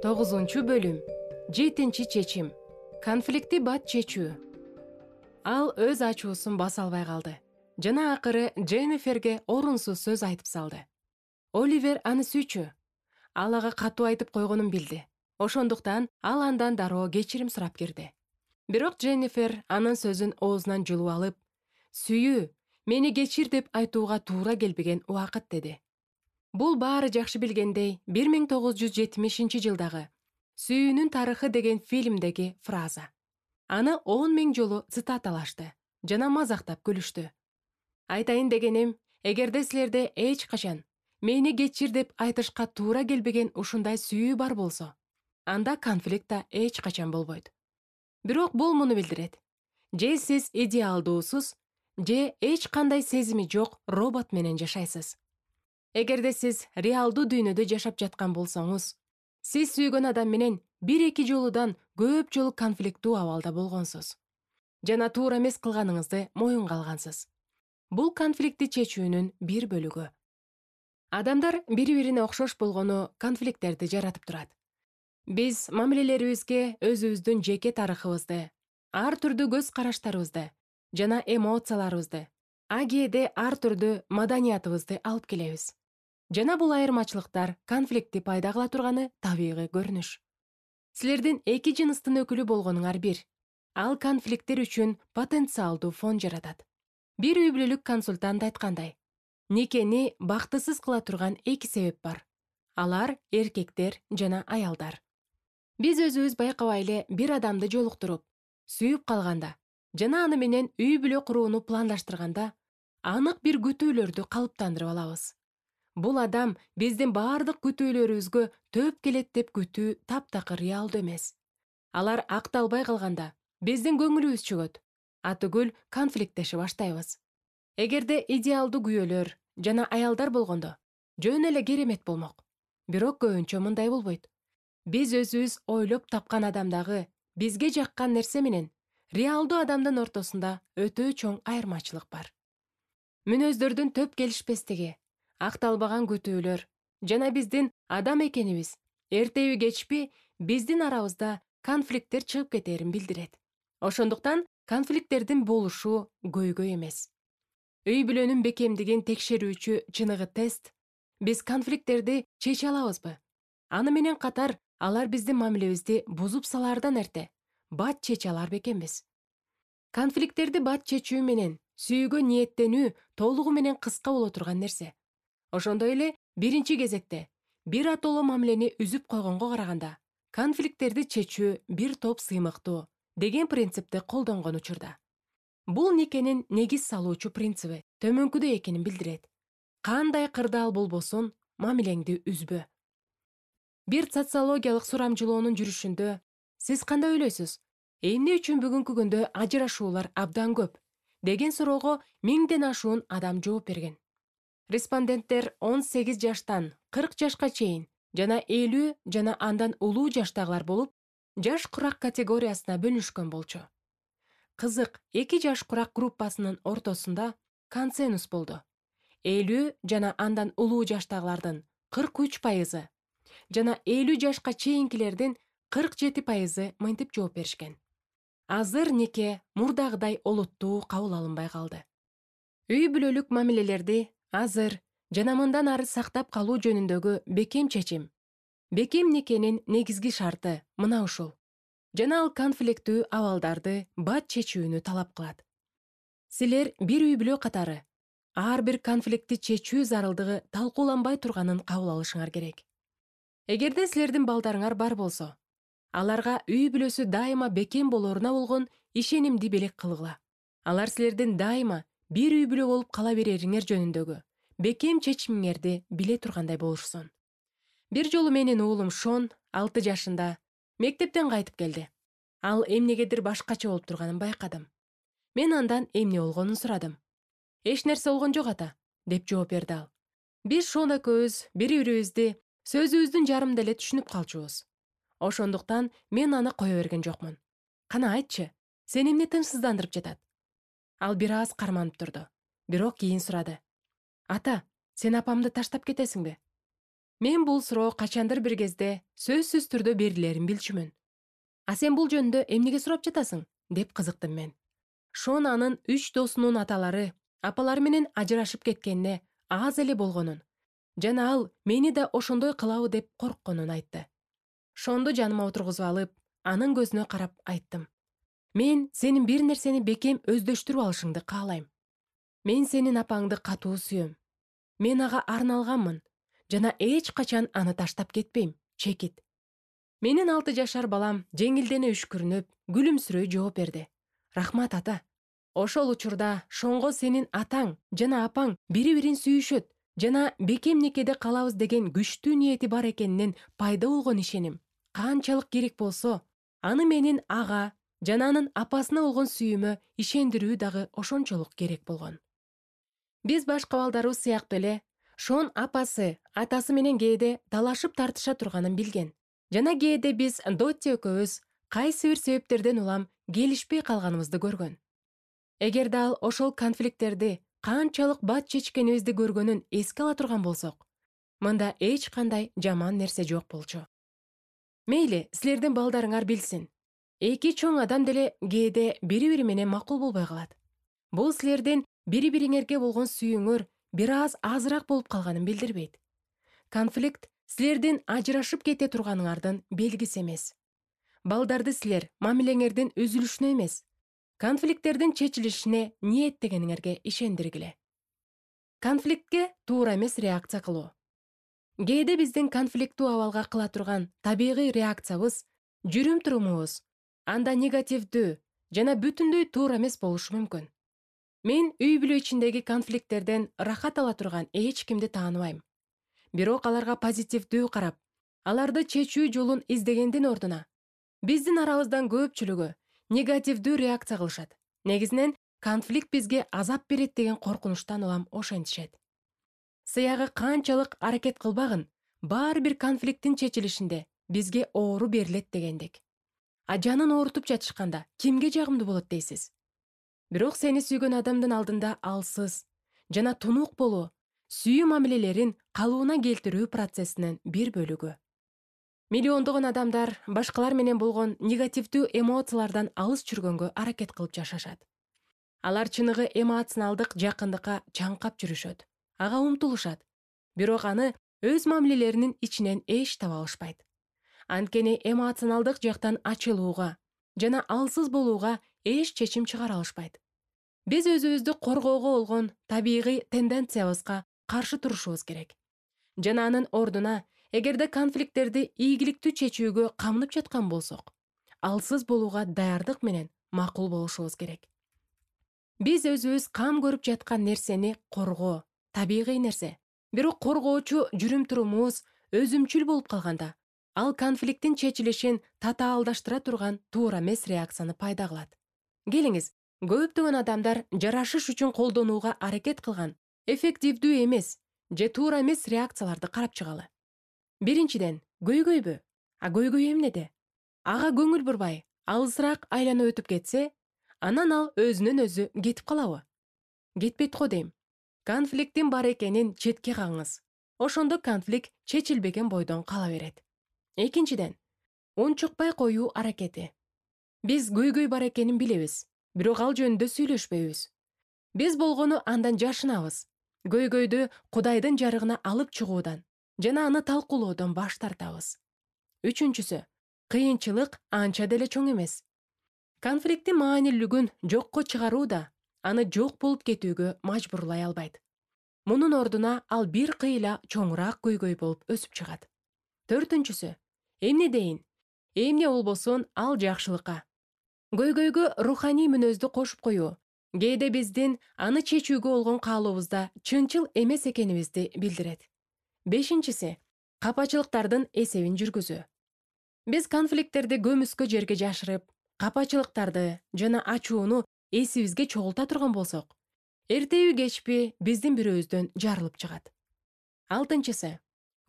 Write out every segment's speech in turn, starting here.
9-бөлүм. 7-чечим. Конфликти бат чечүү. Ал өз ачуусун баса албай калды жана акыры Дженниферге орунсуз сөз айтып салды. Оливер аны сүйчү. Ал ага катуу айтып койгонун билди. Ошондуктан ал андан дароо кечирим сурап кирди. Бирок Дженнифер анын сөзүн оозунан жулуп алып, "Сүйүү, мени кечир" деп айтууга туура келбеген убакыт деди. Бул баары жакшы билгендей 1970-жылдагы "Сүйүүнүн тарыхы" деген фильмдеги фраза. Аны 10 000 жолу цитаталашты жана мазактап күлүштү. Айтайын дегеним, эгерде силерде эч качан "Мени кечир" деп айтышка туура келбеген ушундай сүйүү бар болсо, анда конфликт да эч качан болбойт. Бирок бул муну билдирет: же сиз идеалдуусуз, же эч кандай сезими жок робот менен жашайсыз. Эгерде сиз реалдуу дүйнөдө жашап жаткан болсоңуз, сиз сүйгөн адам менен 1-2 жолудан көп жолу конфликттүү абалда болгонсуз жана туура эмес кылганыңызды моюнга алгансыз. Бул конфликтти чечүүнүн бир бөлүгү. Адамдар бири-бирине окшош болгону конфликттерди жаратып турат. Биз мамилелерибизге өзүбүздүн жеке тарыхыбызды, ар түрдүү көз караштарыбызды жана эмоцияларыбызды, кээде ар түрдүү маданиятыбызды алып келебиз. Жана бул айырмачылыктар конфликтти пайда кыла турганы табигый көрүнүш. Силердин эки жыныстын өкүлү болгонуңар бир. Ал конфликттер үчүн потенциалдуу фон жаратат. Бир үй бүлөлүк консультант айткандай, никени бактысыз кыла турган эки себеп бар. Алар эркектер жана аялдар. Биз өзүбүз байкабай эле бир адамды жолуктуруп, сүйүп калганда жана аны менен үй бүлө курууну пландаштырганда анык бир күтүүлөрдү калыптандырып алабыз. Бул адам биздин баардык күтүүлөрүбүзгө төп келет деп күтүү таптакыр реалдуу эмес. Алар акталбай калганда биздин көңүлүбүз чөгөт, атүгүл конфликттеше баштайбыз. Эгерде идеалдуу күйөөлөр жана аялдар болгондо жөн эле керемет болмок. Бирок көбүнчө мындай болбойт. Биз өзүбүз ойлоп тапкан адамдагы бизге жаккан нерсе менен реалдуу адамдын ортосунда өтө чоң айырмачылык бар. Мүнөздөрдүн төп келишпестиги, акталбаган күтүүлөр жана биздин адам экенибиз эртеби кечпи биздин арабызда конфликттер чыгып кетерин билдирет. Ошондуктан конфликттердин болушу көйгөй эмес. Үй бүлөнүн бекемдигин текшерүүчү чыныгы тест: биз конфликттерди чече алабызбы? Аны менен катар алар биздин мамилебизди бузуп салаардан эрте бат чече алар бекенбиз? Конфликттерди бат чечүү менен сүйүүгө ниеттенүү толугу менен кыска боло турган нерсе. Ошондой эле биринчи кезекте бир атоло мамилени үзүп койгонго караганда конфликттерди чечүү бир топ сыймыктуу деген принципти колдонгон учурда. Бул никенин негиз салуучу принциби төмөнкүдөй экенин билдирет. Кандай кырдаал болбосун, мамилеңди үзбө. Бир социологиялык сурамжылоонун жүрүшүндө сиз кандай ойлойсуз? Эмне үчүн бүгүнкү күндө ажырашуулар абдан көп деген суроого 1000ден ашуун адам жооп берген. Респонденттер 18 жаштан 40 жашка чейин жана 50 жана андан улуу жаштагылар болуп, жаш курак категориясына бөлүнүшкөн болчу. Кызык, эки жаш курак группасынын ортосунда консенсус болду. 50 жана андан улуу жаштагылардын 43% жана 50 жашка чейинкилердин 47% мынтип жооп беришкен. Азыр нике мурдагыдай олуттуу кабыл алынбай калды. Үй бүлөлүк мамилелерди азыр жана мындан ары сактап калуу жөнүндөгү бекем чечим, бекем никенин негизги шарты мына ушул. Жана ал конфликттүү абалдарды бат чечүүнү талап кылат. Силер бир үй бүлө катары ар бир конфликтти чечүү зарылдыгы талкууланбай турганын кабыл алышыңар керек. Эгерде силердин балдарыңар бар болсо, аларга үй бүлөсү дайыма бекем болоруна болгон ишенимди белек кылгыла. Алар силердин дайыма бир үй бүлө болуп кала берериңер жөнүндөгү бекем чечимиңерди биле тургандай болушсун. Бир жолу менин уулум Шон 6 жашында мектептен кайтып келди. Ал эмнегедир башкача болуп турганын байкадым. Мен андан эмне болгонун сурадым. "Эч нерсе болгон жок ата", деп жооп берди ал. Биз Шон экөөбүз бири-бирибизди сөзүбүздүн жарымында эле түшүнүп калчубуз. Ошондуктан мен аны кое берген жокмун. "Кана айтчы, сени эмне тынчсыздандырып жатат?" Ал бир аз карманып турду, бирок кийин сурады. "Ата, сен апамды таштап кетесиңби?" Мен бул суроо качандыр бир кезде сөзсүз түрдө берилерин билчүмүн. А сен бул жөнүндө эмнеге сурап жатасың? Деп кызыктым мен. Шон анын 3 досунун аталары, апалары менен ажырашып кеткенине аз эле болгонун жана ал мени да ошондой кылабы деп коркконун айтты. Шонду жаныма отургузуп алып, анын көзүнө карап айттым. Мен сенин бир нерсени бекем өздөштүрүп алышыңды каалайм. Мен сенин апаңды катуу сүйөм. Мен ага арналганмын жана эч качан аны таштап кетпейм, чекит. Менин 6 жашар балам жеңилдене үшкүрүнүп, күлүмсүрөй жооп берди. Рахмат ата. Ошол учурда Шонго сенин атаң жана апаң бири-бирин сүйүшөт жана бекем некеде калабыз деген күчтүү ниети бар экенинен пайда болгон ишеним канчалык керек болсо, аны менин ага жана анын апасына болгон сүйүүмө ишендирүү дагы ошончолук керек болгон. Биз башка балдарыбыз сыяктуу эле Шон апасы, атасы менен кээде талашып тартыша турганын билген. Жана кээде биз Дотти экөөбүз кайсы бир себептерден улам келишпей калганыбызды көргөн. Эгерде ал ошол конфликттерди канчалык бат чечкенибизди көргөнүн эске ала турган болсок, мында эч кандай жаман нерсе жок болчу. Мейли, силердин балдарыңар билсин. Эки чоң адам деле кээде бири-бири менен макул болбой калат. Бул силердин бири-бириңерге болгон сүйүүңөр бир аз азыраак болуп калганын билдирбейт. Конфликт силердин ажырашып кете турганыңардын белгиси эмес. Балдарды силер мамилеңердин үзүлүшүнө эмес, конфликттердин чечилишине ниеттегениңерге ишендиргиле. Конфликтке туура эмес реакция кылуу. Кээде биздин конфликттүү абалга кыла турган табигый реакциябыз, жүрүм-турумубуз анда негативдүү жана бүтүндөй туура эмес болушу мүмкүн. Мен үй-бүлө ичиндеги конфликттерден рахат ала турган эч кимди тааныбайм. Бирок аларга позитивдүү карап, аларды чечүү жолун издегендин ордуна, биздин арабыздан көпчүлүгү негативдүү реакция кылышат. Негизинен конфликт бизге азап берет деген коркунучтан улам ошентишет. Сыягы канчалык аракет кылбагын, баары бир конфликттин чечилишинде бизге оору берилет дегендик. А жанын оорутуп жатышканда кимге жагымдуу болот дейсиз? Бирок сени сүйгөн адамдын алдында алсыз жана тунук болуу сүйүү мамилелерин калыбына келтирүү процессинин бир бөлүгү. Миллиондогон адамдар башкалар менен болгон негативдүү эмоциялардан алыс жүргөнгө аракет кылып жашашат. Алар чыныгы эмоционалдык жакындыкка чаңкап жүрүшөт, ага умтулушат, бирок аны өз мамилелеринин ичинен эч таба алышпайт. Анткени эмоционалдык жактан ачылууга жана алсыз болууга эч чечим чыгара алышпайт. Биз өзүбүздү коргоого болгон табигый тенденциябызга каршы турушубуз керек. Жана анын ордуна, эгерде конфликттерди ийгиликтүү чечүүгө камынып жаткан болсок, алсыз болууга даярдык менен макул болушубуз керек. Биз өзүбүз кам көрүп жаткан нерсени коргоо табигый нерсе. Бирок коргоочу жүрүм-турумубуз өзүмчүл болуп калганда, ал конфликттин чечилишин татаалдаштыра турган туура эмес реакцияны пайда кылат. Келиңиз, көптөгөн адамдар жарашыш үчүн колдонууга аракет кылган эффективдүү эмес же туура эмес реакцияларды карап чыгалы. Биринчиден, көйгөйбү? А көйгөй эмнеде? Ага көңүл бурбай, алысыраак айланып өтүп кетсе, анан ал өзүнөн өзү кетип калабы? Кетпейт го дейм. Конфликттин бар экенин четке кагыңыз. Ошондо конфликт чечилбеген бойдон кала берет. Экинчиден, унчукпай коюу аракети. Биз көйгөй бар экенин билебиз, бирок ал жөнүндө сүйлөшпөйбүз. Биз болгону андан жашынабыз. Көйгөйдү Кудайдын жарыгына алып чыгуудан жана аны талкуулоодон баш тартабыз. Үчүнчүсү, кыйынчылык анча деле чоң эмес. Конфликттин маанилүүлүгүн жокко чыгаруу да аны жок болуп кетүүгө мажбурлай албайт. Мунун ордуна ал бир кыйла чоңураак көйгөй болуп өсүп чыгат. Төртүнчүсү, эмне дейин? Эмне болбосун ал жакшылыкка. Көйгөйгө руханий мүнөздү кошуп коюу кээде биздин аны чечүүгө болгон каалообузда чынчыл эмес экенибизди билдирет. Бешинчиси, капачылыктардын эсебин жүргүзүү. Биз конфликттерди көмүскө жерге жашырып, капачылыктарды жана ачууну эсибизге чогулта турган болсок, эртеби кечпи биздин бирөөбүздөн жарылып чыгат. Алтынчысы,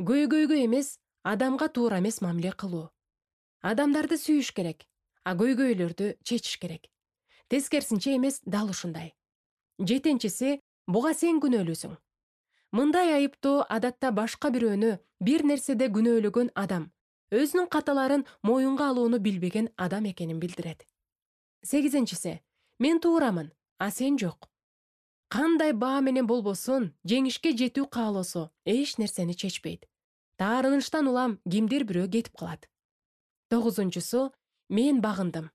көйгөйгө эмес, адамга туура эмес мамиле кылуу. Адамдарды сүйүш керек, а көйгөйлөрдү чечиш керек. Тескерисинче эмес, дал ушундай. Жетинчиси, буга сен күнөөлүүсүң. Мындай айыптоо адатта башка бирөөнү бир нерседе күнөөлөгөн адам, өзүнүн каталарын моюнга алууну билбеген адам экенин билдирет. 8-си. Мен туурамын, а сен жок. Кандай баа менен болбосун, жеңишке жетүү каалоосу эч нерсени чечпейт. Таарынычтан улам кимдир бирөө кетип калат. 9-су. Мен багындым.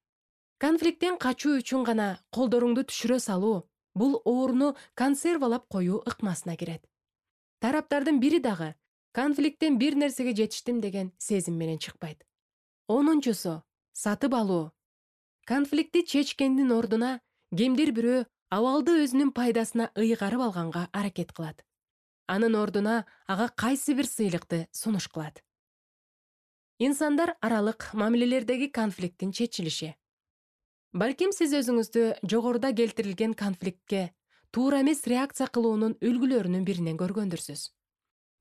Конфликттен качуу үчүн гана колдоруңду түшүрө салуу, бул ооруну консервалап коюу ыкмасына кирет. Тараптардын бири дагы конфликттен бир нерсеге жетиштим деген сезим менен чыкпайт. 10-су. Сатып алуу. Конфликтти чечкендин ордуна кимдир бирөө абалды өзүнүн пайдасына ыйгарып алганга аракет кылат. Анын ордуна ага кайсы бир сыйлыкты сунуш кылат. Инсандар аралык мамилелердеги конфликттин чечилиши. Балким сиз өзүңүздү жогоруда келтирилген конфликтке туура эмес реакция кылуунун үлгүлөрүнүн биринен көргөндүрсүз.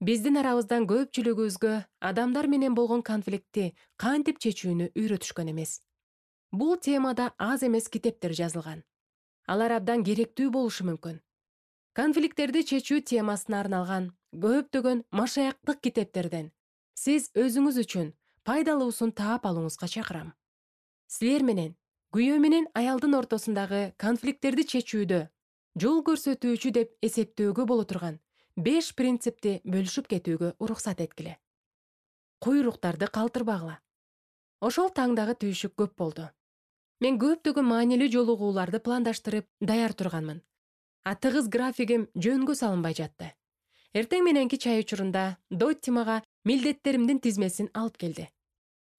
Биздин арабыздан көпчүлүгүбүзгө адамдар менен болгон конфликтти кантип чечүүнү үйрөтүшкөн эмес. Бул темада аз эмес китептер жазылган. Алар абдан керектүү болушу мүмкүн. Конфликттерди чечүү темасына арналган көптөгөн машаяктык китептерден сиз өзүңүз үчүн пайдалуусун таап алууңузга чакырам. Силер менен күйөө менен аялдын ортосундагы конфликттерди чечүүдө жол көрсөтүүчү деп эсептөөгө боло турган 5 принципти бөлүшүп кетүүгө уруксат эткиле. Куйруктарды калтырбагыла. Ошол таңдагы түйшүк көп болду. Мен көптөгөн маанилүү жолугууларды пландаштырып даяр турганмын. А тыгыз графигим жөнгө салынбай жатты. Эртең мененки чай учурунда Дотти мага милдеттеримдин тизмесин алып келди.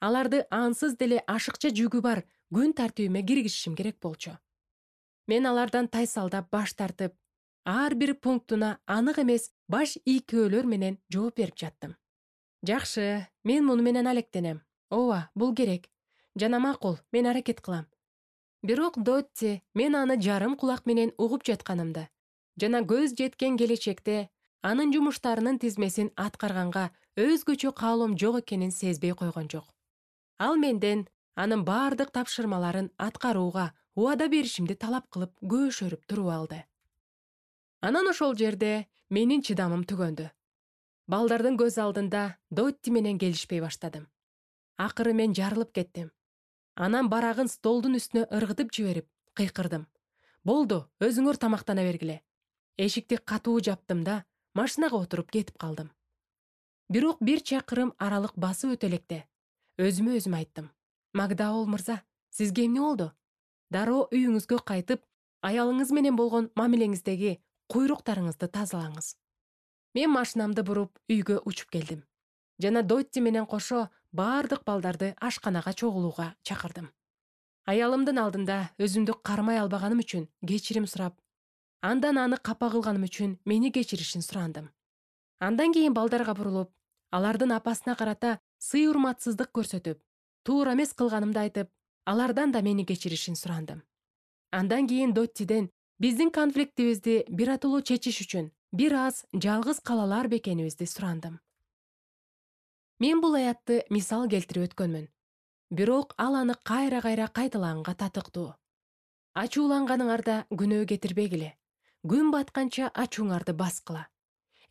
Аларды ансыз деле ашыкча жүгү бар күн тартибиме киргизишим керек болчу. Мен алардан тайсалдап баш тартып, ар бир пунктуна анык эмес баш ийкөөлөр менен жооп берип жаттым. Жакшы, мен муну менен алектенем. Ооба, бул керек. Жана макул, мен аракет кылам. Бирок Дотти мен аны жарым кулак менен угуп жатканымды жана көз жеткен келечекте анын жумуштарынын тизмесин аткарганга өзгөчө каалоом жок экенин сезбей койгон жок. Ал менден анын бардык тапшырмаларын аткарууга убада беришимди талап кылып көөшөрүп туруп алды. Анан ошол жерде менин чыдамым түгөндү. Балдардын көз алдында Дотти менен келишпей баштадым. Акыры мен жарылып кеттим. Анан барагын столдун үстүнө ыргытып жиберип, кыйкырдым. Болду, өзүңөр тамактана бергиле. Эшикти катуу жаптым да, машинага отуруп кетип калдым. Бирок бир чакырым аралык басып өтө электе өзүмө өзүм айттым. Макдаул мырза, сизге эмне болду? Дароо үйүңүзгө кайтып, аялыңыз менен болгон мамилеңиздеги куйруктарыңызды тазалаңыз. Мен машинамды буруп үйгө учуп келдим. Жана Дотти менен кошо бардык балдарды ашканага чогулууга чакырдым. Аялымдын алдында өзүмдү кармай албаганым үчүн кечирим сурап, андан аны капа кылганым үчүн мени кечиришин сурандым. Андан кийин балдарга бурулуп, алардын апасына карата сый-урматсыздык көрсөтүп, туура эмес кылганымды айтып, алардан да мени кечиришин сурандым. Андан кийин Доттиден биздин конфликтибизди биротолуу чечиш үчүн бир аз жалгыз кала алар бекенибизди сурандым. Мен бул аятты мисал келтирип өткөнмүн. Бирок ал аны кайра-кайра кайталаганга татыктуу. Ачууланганыңарда күнөө кетирбегиле. Күн батканча ачууңарды баскыла.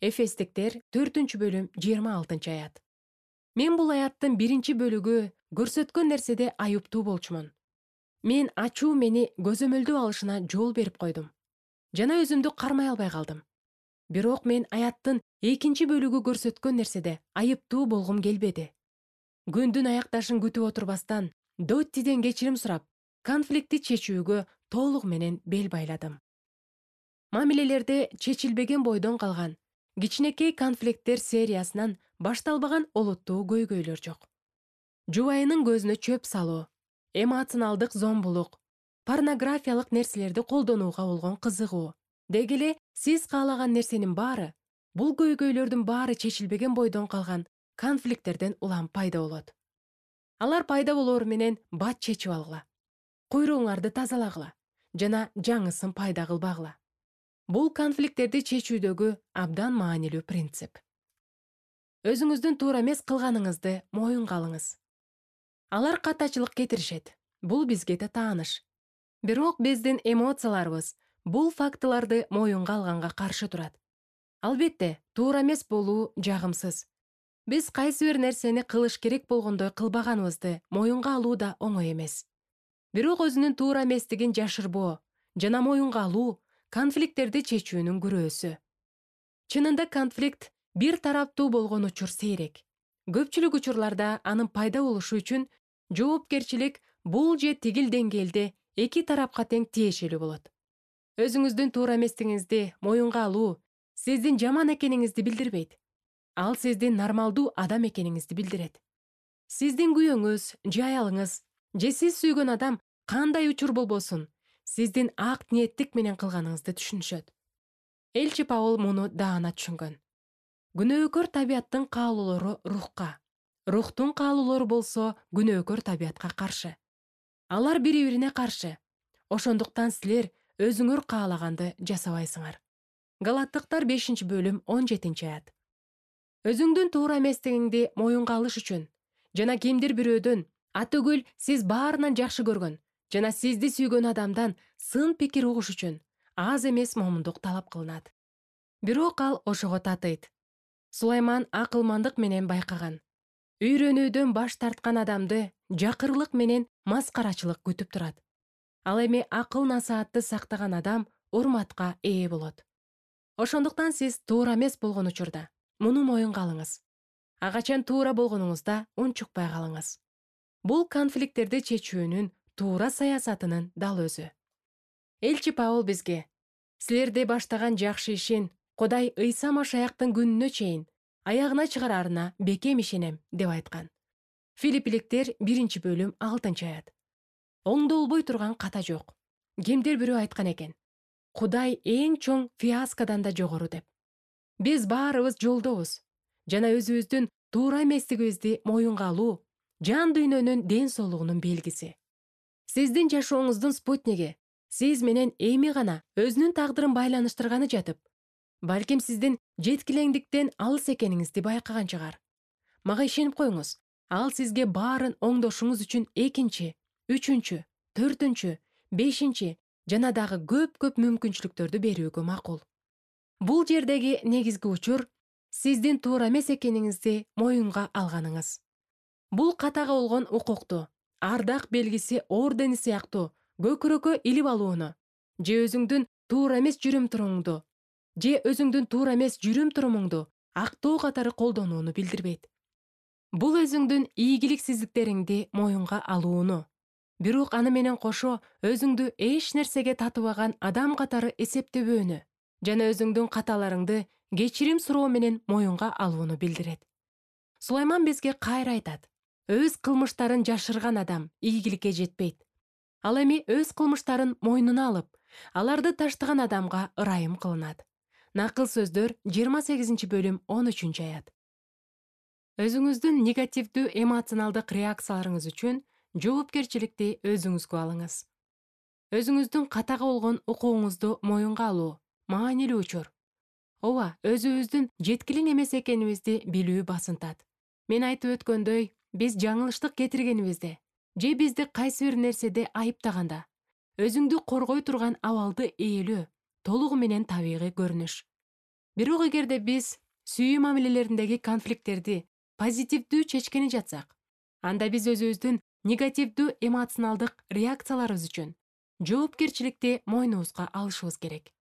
Эфестиктер 4-бөлүм 26-аят. Мен бул аяттын 1-бөлүгү көрсөткөн нерседе айыптуу болчумун. Мен ачуу мени көзөмөлдөө алышына жол берип койдум. Жана өзүмдү кармай албай калдым. Бирок мен аяттын 2-бөлүгү көрсөткөн нерседе айыптуу болгум келбеди. Күндүн аякташын күтүп отурбастан Доттиден кечирим сурап, конфликтти чечүүгө толугу менен бел байладым. Мамилелерде чечилбеген бойдон калган кичинекей конфликттер сериясынан башталбаган олуттуу көйгөйлөр жок. Жубайынын көзүнө чөп салуу, эмоционалдык зомбулук, порнографиялык нерселерди колдонууга болгон кызыгуу, деги эле сиз каалаган нерсенин баары, бул көйгөйлөрдүн баары чечилбеген бойдон калган конфликттерден улам пайда болот. Алар пайда болоор менен бат чечип алгыла. Куйругуңарды тазалагыла жана жаңысын пайда кылбагыла. Бул конфликттерди чечүүдөгү абдан маанилүү принцип. Өзүңүздүн туура эмес кылганыңызды моюнга алыңыз. Алар катачылык кетиришет. Бул бизге да тааныш. Бирок биздин эмоцияларыбыз бул фактыларды моюнга алганга каршы турат. Албетте, туура эмес болуу жагымсыз. Биз кайсы бир нерсени кылыш керек болгондой кылбаганыбызды моюнга алуу да оңой эмес. Бирок өзүнүн туура эместигин жашырбоо жана моюнга алуу конфликттерди чечүүнүн күрөөсү. Чынында конфликт бир тараптуу болгон учур сейрек. Көпчүлүк учурларда анын пайда болушу үчүн жоопкерчилик бул же тигил деңгээлде эки тарапка тең тиешелүү болот. Өзүңүздүн туура эместигиңизди моюнга алуу сиздин жаман экениңизди билдирбейт. Ал сиздин нормалдуу адам экениңизди билдирет. Сиздин күйөөңүз же аялыңыз же сиз сүйгөн адам кандай учур болбосун, сиздин ак ниеттик менен кылганыңызды түшүнүшөт. Элчи Паул муну даана түшүнгөн. Күнөөкөр табияттын каалоолору рухка, рухтун каалоолору болсо күнөөкөр табиятка каршы. Алар бири-бирине каршы. Ошондуктан силер өзүңөр каалаганды жасабайсыңар. Галаттыктар 5-бөлүм 17-аят. Өзүңдүн туура эместигиңди моюнга алыш үчүн жана кимдир бирөөдөн атөгүл сиз баарынан жакшы көргөн жана сизди сүйгөн адамдан сын пикир угуш үчүн аз эмес момундук талап кылынат. Бирок ал ошого татыйт. Сулайман акылмандык менен байкаган. Үйрөнүүдөн баш тарткан адамды жакырлык менен маскарачылык күтүп турат. Ал эми акыл насаатты сактаган адам урматка ээ болот. Ошондуктан сиз туура эмес болгон учурда муну моюнга алыңыз. Качан туура болгонуңузда унчукпай калыңыз. Бул конфликттерди чечүүнүн туура саясатынын дал өзү. Элчи Паул бизге силерди баштаган жакшы ишин Кудай Ыйса Машаяктын күнүнө чейин аягына чыгарарына бекем ишенем деп айткан. Филиппиликтер 1-бөлүм 6-аят. Оңдолбой турган ката жок. Кимдир бирөө айткан экен. Кудай эң чоң фиаскадан да жогору деп. Биз баарыбыз жолдобуз жана өзүбүздүн туура эместигибизди моюнга алуу жан дүйнөнүн ден соолугунун белгиси. Сиздин жашооңуздун спутниги сиз менен эми гана өзүнүн тагдырын байланыштырганы жатып, балким сиздин жеткилеңдиктен алыс экениңизди байкаган чыгар. Мага ишенип коюңуз, ал сизге баарын оңдошуңуз үчүн 2, 3, 4, 5 жана дагы көп мүмкүнчүлүктөрдү берүүгө макул. Бул жердеги негизги учур сиздин туура эмес экениңизди моюнга алганыңыз. Бул катага болгон укукту, ардак белгиси ордени сыяктуу көкүрөккө илип алууну, же өзүңдүн туура эмес жүрүм-турумуңду актоо катары колдонууну билдирбейт. Бул өзүңдүн ийгиликсиздиктериңди моюнга алууну, бирок аны менен кошо өзүңдү эч нерсеге татыбаган адам катары эсептебөөнү жана өзүңдүн каталарыңды кечирим суроо менен моюнга алууну билдирет. Сулайман бизге кайра айтат. Өз кылмыштарын жашырган адам ийгиликке жетпейт. Ал эми өз кылмыштарын мойнуна алып, аларды таштаган адамга ырайым кылынат. Накыл сөздөр 28-бөлүм 13-аят. Өзүңүздүн негативдүү эмоционалдык реакцияларыңыз үчүн жоопкерчиликти өзүңүзгө алыңыз. Өзүңүздүн катага болгон укугуңузду моюнга алуу маанилүү учур. Ооба, өзүбүздүн жеткилең эмес экенибизди билүү басынтат. Мен айтып өткөндөй, биз жаңылыштык кетиргенибизде же бизди кайсы бир нерседе айыптаганда өзүңдү коргой турган абалды ээлөө толугу менен табигый көрүнүш. Бирок эгерде биз сүйүү мамилелериндеги конфликттерди позитивдүү чечкени жатсак, анда биз өзүбүздүн негативдүү эмоционалдык реакцияларыбыз үчүн жоопкерчиликти мойнубузга алышыбыз керек.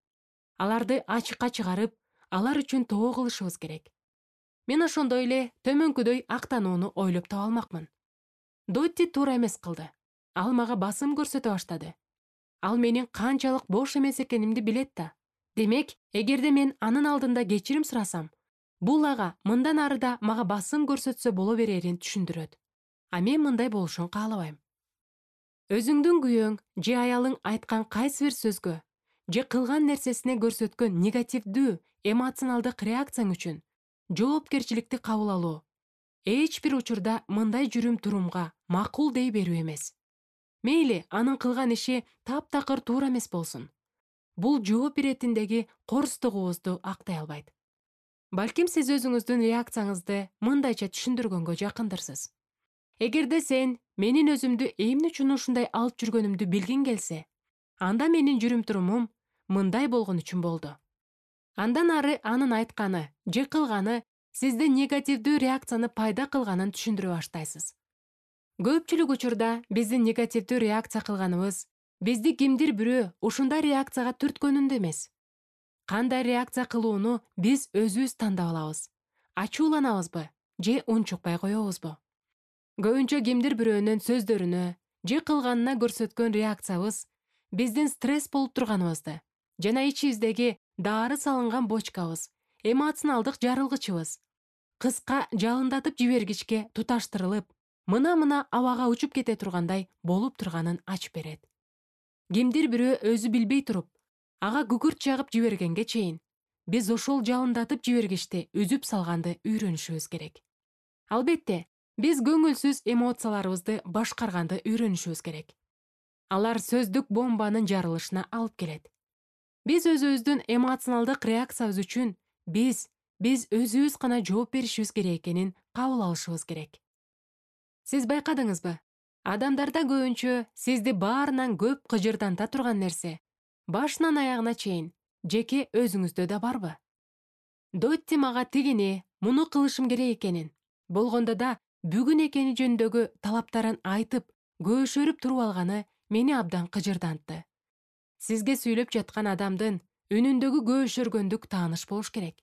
Аларды ачыкка чыгарып, алар үчүн тоо кылышыбыз керек. Мен ошондой эле төмөнкүдөй актанууну ойлоп таба алмакмын. Дотти туура эмес кылды. Ал мага басым көрсөтө баштады. Ал менин канчалык бош эмес экенимди билет да. Демек, эгерде мен анын алдында кечирим сурасам, бул ага мындан ары да мага басым көрсөтсө боло берерин түшүндүрөт. А мен мындай болушун каалабайм. Өзүңдүн күйөөң же аялың айткан кайсы бир сөзгө же кылган нерсесине көрсөткөн негативдүү эмоционалдык реакцияң үчүн жоопкерчиликти кабыл алуу эч бир учурда мындай жүрүм-турумга макул дей берүү эмес. Мейли, анын кылган иши таптакыр туура эмес болсун. Бул жооп иретиндеги корустугубузду актай албайт. Балким сиз өзүңүздүн реакцияңызды мындайча түшүндүргөнгө жакындырсыз. Эгерде сен менин өзүмдү эмне үчүн ушундай алып жүргөнүмдү билгиң келсе, анда менин жүрүм-турумум мындай болгон үчүн болду. Андан ары анын айтканы же кылганы сизде негативдүү реакцияны пайда кылганын түшүндүрө баштайсыз. Көпчүлүк учурда биздин негативдүү реакция кылганыбыз бизди кимдир бирөө ушундай реакцияга түрткөнүндө эмес. Кандай реакция кылууну биз өзүбүз тандап алабыз. Ачууланабызбы же унчукпай коебузбу? Көбүнчө кимдир бирөөнүн сөздөрүнө же кылганына көрсөткөн реакциябыз биздин стресс болуп турганыбызды жана ичибиздеги дары салынган бочкабыз, эмоционалдык жарылгычыбыз кыска жалындатып жибергичке туташтырылып, мына абага учуп кете тургандай болуп турганын ачып берет. Кимдир бирөө өзү билбей туруп, ага күкүрт жагып жибергенге чейин биз ошол жалындатып жибергичти үзүп салганды үйрөнүшүбүз керек. Албетте, биз көңүлсүз эмоцияларыбызды башкарганды үйрөнүшүбүз керек. Алар сөздүк бомбанын жарылышына алып келет. Биз өзүбүздүн эмоционалдык реакциябыз үчүн биз өзүбүз гана жооп беришибиз керек экенин кабыл алышыбыз керек. Сиз байкадыңызбы? Адамдарда көбүнчө сизди баарынан көп кыжырданта турган нерсе башынан аягына чейин жеке өзүңүздө да барбы? Дотти мага тигини, муну кылышым керек экенин, болгондо да бүгүн экени жөнүндөгү талаптарын айтып, көөшөрүп туруп алганы мени абдан кыжырдантты. Сизге сүйлөп жаткан адамдын үнүндөгү көөшөргөндүк тааныш болуш керек.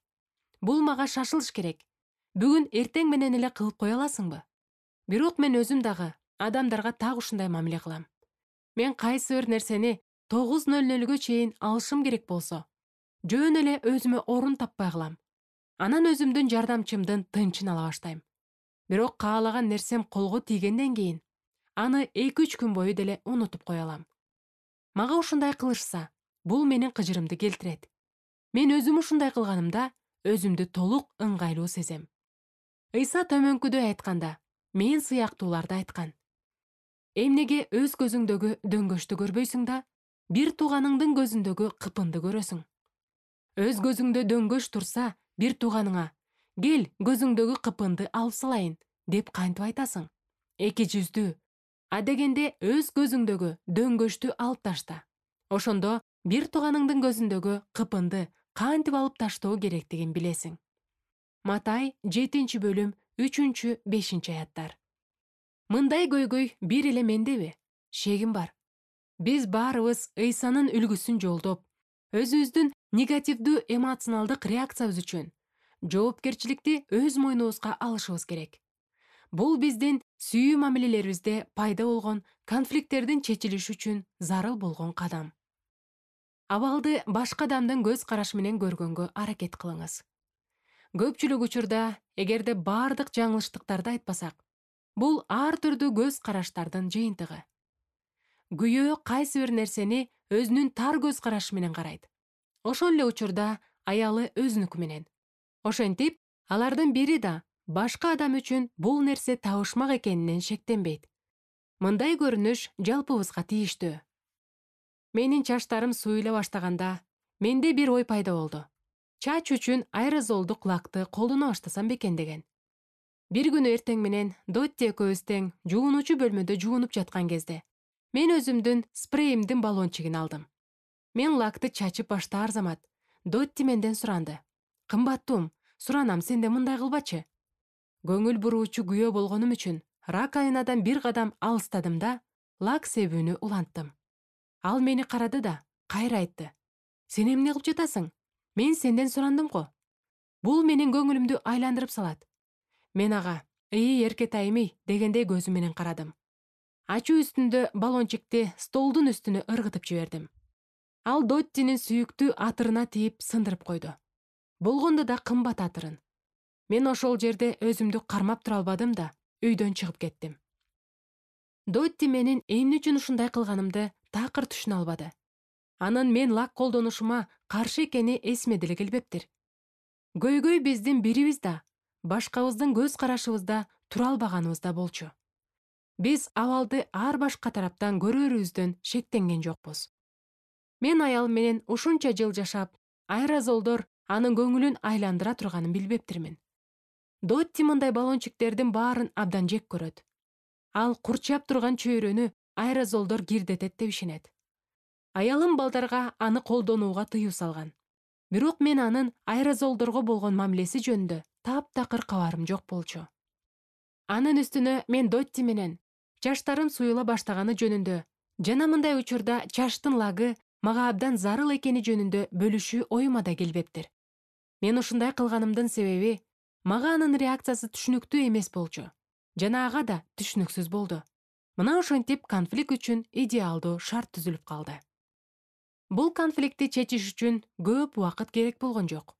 Бул мага шашылыш керек. Бүгүн эртең менен эле кылып кое аласыңбы? Бирок мен өзүм дагы адамдарга так ушундай мамиле кылам. Мен кайсы бир нерсени 9:00 чейин алышым керек болсо, жөн эле өзүмө орун таппай калам. Анан өзүмдүн жардамчымдын тынчын ала баштайм. Бирок каалаган нерсем колго тийгенден кийин аны 2-3 күн бою деле унутуп кое алам. Мага ушундай кылышса, бул менин кыжырымды келтирет. Мен өзүм ушундай кылганымда өзүмдү толук ыңгайлуу сезем. Ыйса төмөнкүдөй айтканда, мен сыяктууларды айткан. Эмнеге өз көзүңдөгү дөңгөчтү көрбөйсүң да, бир тууганыңдын көзүндөгү кыпынды көрөсүң. Өз көзүңдө дөңгөч турса, бир тууганыңа «Кел, көзүңдөгү кыпынды алып салайын» деп кантип айтасың? Эки жүздүү. Адегенде өз көзүңдөгү дөңгөчтү алып ташта. Ошондо бир тууганыңдын көзүндөгү кыпынды кантип алып таштоо керектигин билесиң. Матай 7-бөлүм 3-5 аяттар. Мындай көйгөй бир эле мендеби? Шегим бар. Биз баарыбыз Ыйсанын үлгүсүн жолдоп, өзүбүздүн негативдүү эмоционалдык реакциябыз үчүн жоопкерчиликти өз мойнубузга алышыбыз керек. Бул биздин сүйүү мамилелерибизде пайда болгон конфликттердин чечилиши үчүн зарыл болгон кадам. Абалды башка адамдын көз карашы менен көргөнгө аракет кылыңыз. Көпчүлүк учурда, эгерде баардык жаңылыштыктарды айтпасак, бул ар түрдүү көз караштардын жыйынтыгы. Күйөө кайсы бир нерсени өзүнүн тар көз карашы менен карайт. Ошол эле учурда аялы өзүнүкү менен. Ошентип, алардын бири да башка адам үчүн бул нерсе табышмак экенинен шектенбейт. Мындай көрүнүш жалпыбызга тийиштүү. Менин чачтарым суюла баштаганда, менде бир ой пайда болду. Чач үчүн аэрозолдук лакты колдоно баштасам бекен деген. Бир күнү эртең менен Дотти экөөбүз тең жуунуучу бөлмөдө жуунуп жаткан кезде, мен өзүмдүн спреимдин баллончигин алдым. Мен лакты чачып баштаар замат Дотти менден суранды. Кымбаттуум, суранам, сенде мындай кылбачы. Көңүл буруучу күйөө болгонум үчүн ракайнадан бир кадам алыстадым да, лак себүүнү уланттым. Ал мени карады да, кайра айтты. Сен эмне кылып жатасың? Мен сенден сурандым го. Бул менин көңүлүмдү айландырып салат. Мен ага, эркетайым дегендей көзү менен карадым. Ачуу үстүндө баллончикти столдун үстүнө ыргытып жибердим. Ал Доттинин сүйүктүү атырына тийип сындырып койду. Болгондо да кымбат атырын. Мен ошол жерде өзүмдү кармап тура албадым да, үйдөн чыгып кеттим. Дотти менин эмне үчүн ушундай кылганымды такыр түшүнө албады. Анын мен лак колдонушума каршы экени эсиме деле келбептир. Көйгөй биздин бирибиз да, башкабыздын көз карашыбызда тура албаганыбызда болчу. Биз абалды ар башка тараптан көрөрүбүздөн шектенген жокпуз. Мен аялым менен ушунча жыл жашап, аэрозолдор анын көңүлүн айландыра турганын билбептирмин. Дотти мындай баллончиктердин баарын абдан жек көрөт. Ал курчап турган чөйрөнү аэрозолдор кирдетет деп ишенет. Аялым балдарга аны колдонууга тыюу салган. Бирок мен анын аэрозолдорго болгон мамилеси жөнүндө таптакыр кабарым жок болчу. Анын үстүнө мен Дотти менен чачтарым суюла баштаганы жөнүндө жана мындай учурда чачтын лагы мага абдан зарыл экени жөнүндө бөлүшүү оюма да келбептир. Мен ушундай кылганымдын себеби мага анын реакциясы түшүнүктүү эмес болчу жана ага да түшүнүксүз болду. Мына ошентип конфликт үчүн идеалдуу шарт түзүлүп калды. Бул конфликтти чечиш үчүн көп убакыт керек болгон жок.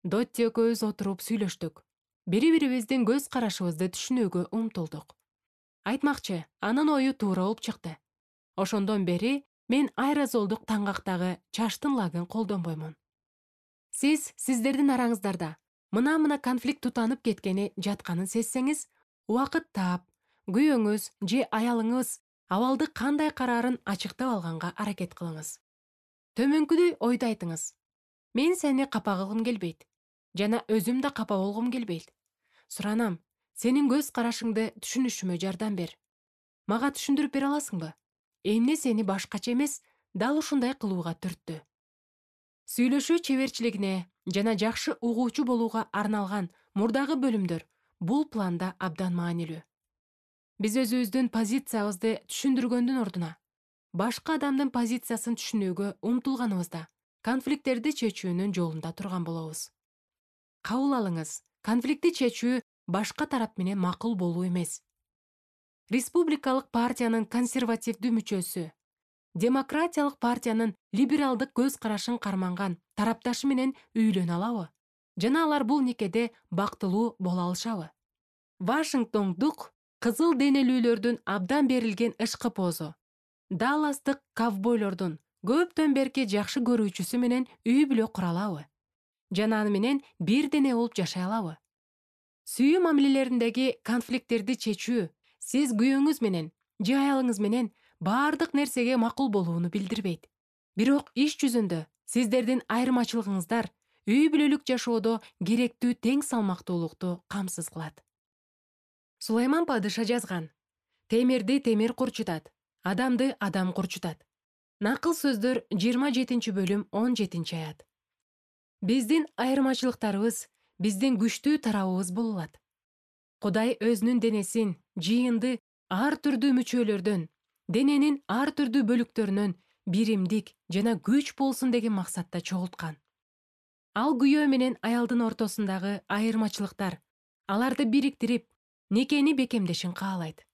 Дотти экөөбүз отуруп сүйлөштүк. Бири-бирибиздин көз карашыбызды түшүнүүгө умтулдук. Айтмакчы, анын ою туура болуп чыкты. Ошондон бери мен аэрозолдук таңгактагы чачтын лагын колдонбоймун. Сиздердин араңыздарда мына конфликт тутанып кеткени жатканын сезсеңиз, убакыт таап, күйөөңүз же аялыңыз абалды кандай караарын ачыктап алганга аракет кылыңыз. Төмөнкүдөй ойду айтыңыз. Мен сени капа кылгым келбейт жана өзүм да капа болгум келбейт. Суранам, сенин көз карашыңды түшүнүшүмө жардам бер. Мага түшүндүрүп бере аласыңбы? Эмне сени башкача эмес, дал ушундай кылууга түрттү? Сүйлөшүү чеберчилигине жана жакшы угуучу болууга арналган мурдагы бөлүмдөр бул планда абдан маанилүү. Биз өзүбүздүн позициябызды түшүндүргөндүн ордуна башка адамдын позициясын түшүнүүгө умтулганыбызда конфликттерди чечүүнүн жолунда турган болобуз. Кабыл алыңыз, конфликтти чечүү башка тарап менен макул болуу эмес. Республикалык партиянын консервативдүү мүчөсү, демократиялык партиянын либералдык көз карашын карманган тарапташы менен үйлөнө алабы? Жана алар бул никеде бактылуу боло алышабы? Вашингтондук кызыл денелүүлөрдүн абдан берилген ышкы-позу, Далластык ковбойлордун көптөн берки жакшы көрүүчүсү менен үй бүлө кура алабы? Жана аны менен бир дене болуп жашай алабы? Сүйүү мамилелериндеги конфликттерди чечүү сиз күйөөңүз менен же аялыңыз менен баардык нерсеге макул болууну билдирбейт. Бирок иш жүзүндө сиздердин айырмачылыгыңыздар үй бүлөлүк жашоодо керектүү тең салмактуулукту камсыз кылат. Сулайман падыша жазган: темирди темир курчутат, адамды адам курчутат. Накыл сөздөр 27-бөлүм 17-аят. Биздин айырмачылыктарыбыз биздин күчтүү тарабыбыз боло алат. Кудай өзүнүн денесин, жыйынды ар түрдүү мүчөлөрдөн, дененин ар түрдүү бөлүктөрүнөн биримдик жана күч болсун деген максатта чогулткан. Ал күйөө менен аялдын ортосундагы айырмачылыктар аларды бириктирип, никени бекемдешин каалайт.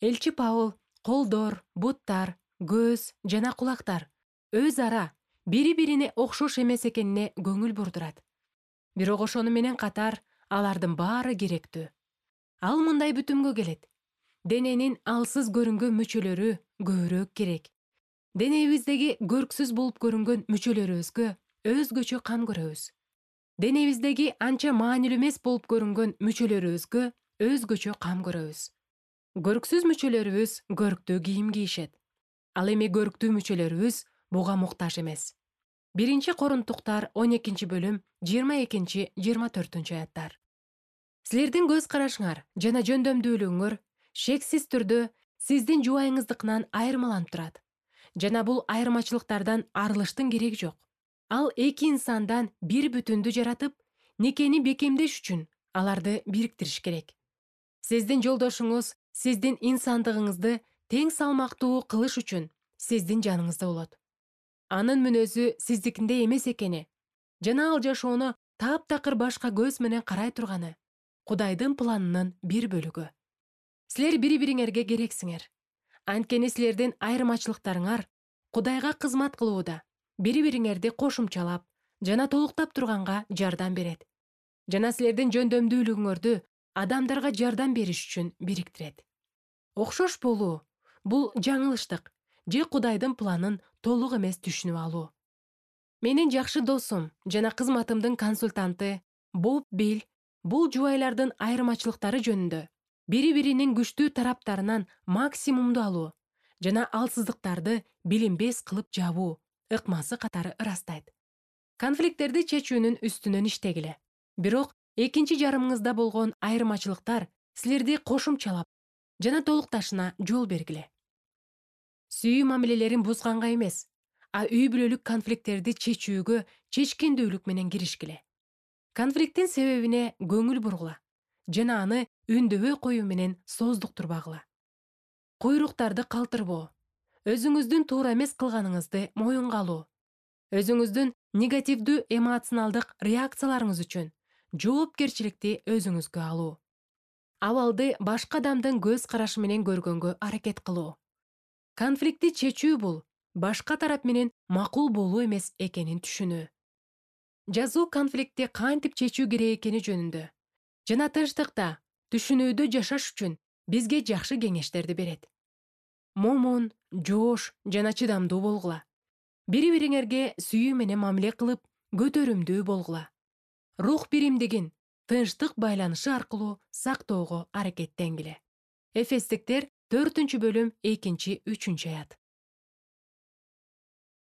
Элчи Павыл колдор, буттар, көз жана кулактар өз ара бири-бирине окшош эмес экенине көңүл бурдурат. Бирок ошону менен катар алардын баары керектүү. Ал мындай бүтүмгө келет. Дененин алсыз көрүнгөн мүчөлөрү көбүрөөк керек. Денебиздеги көрксүз болуп көрүнгөн мүчөлөрүбүзгө өзгөчө кам көрөбүз. Денебиздеги анча маанилүү эмес болуп көрүнгөн мүчөлөрүбүзгө өзгөчө кам көрөбүз. Көрксүз мүчөлөрүбүз көрктүү кийим кийишет. Ал эми көрктүү мүчөлөрүбүз буга муктаж эмес. 1-Корунтуктар 12-бөлүм 22-24 аяттар. Силердин көз карашыңар жана жөндөмдүүлүгүңөр шексиз түрдө сиздин жубайыңыздыкынан айырмаланып турат. Жана бул айырмачылыктардан арылыштын кереги жок. Ал эки инсандан бир бүтүндү жаратып, никени бекемдеш үчүн аларды бириктириш керек. Сиздин жолдошуңуз сиздин инсандыгыңызды тең салмактуу кылыш үчүн сиздин жаныңызда болот. Анын мүнөзү сиздикиндей эмес экени жана ал жашоону таптакыр башка көз менен карай турганы Кудайдын планынын бир бөлүгү. Силер бири-бириңерге керексиңер. Анткени силердин айырмачылыктарыңар Кудайга кызмат кылууда бири-бириңерди кошумчалап жана толуктап турганга жардам берет. Жана силердин жөндөмдүүлүгүңөрдү адамдарга жардам бериш үчүн бириктирет. Окшош болуу бул жаңылыштык же Кудайдын планын толук эмес түшүнүп алуу. Менин жакшы досум жана кызматымдын консультанты Боб Билл бул жубайлардын айырмачылыктары жөнүндө бири-биринин күчтүү тараптарынан максимумду алуу жана алсыздыктарды билинбес кылып жабуу ыкмасы катары ырастайт. Конфликттерди чечүүнүн үстүнөн иштегиле. Бирок экинчи жарымыңызда болгон айырмачылыктар силерди кошумчалап жана толукташына жол бергиле. Сүйүү мамилелерин бузганга эмес, үй бүлөлүк конфликттерди чечүүгө чечкиндүүлүк менен киришкиле. Конфликттин себебине көңүл бургула жана аны үндөбөй коюу менен сооздуктурбагыла. Куйруктарды калтырбоо, өзүңүздүн туура эмес кылганыңызды моюнга алуу, өзүңүздүн негативдүү эмоционалдык реакцияларыңыз үчүн жоопкерчиликти өзүңүзгө алуу, абалды башка адамдын көз карашы менен көргөнгө аракет кылуу. Конфликтти чечүү бул башка тарап менен макул болуу эмес экенин түшүнүү. Жазуу конфликтти кантип чечүү керек экени жөнүндө жана тынчтыкта, түшүнүүдө жашаш үчүн бизге жакшы кеңештерди берет. Момун, жоош жана чыдамдуу болгула. Бири-бириңерге сүйүү менен мамиле кылып, көтөрүмдүү болгула. Рух биримдигин тынчтык байланышы аркылуу сактоого аракеттенгиле. Эфестиктер 4-бөлүм 2-3 аят.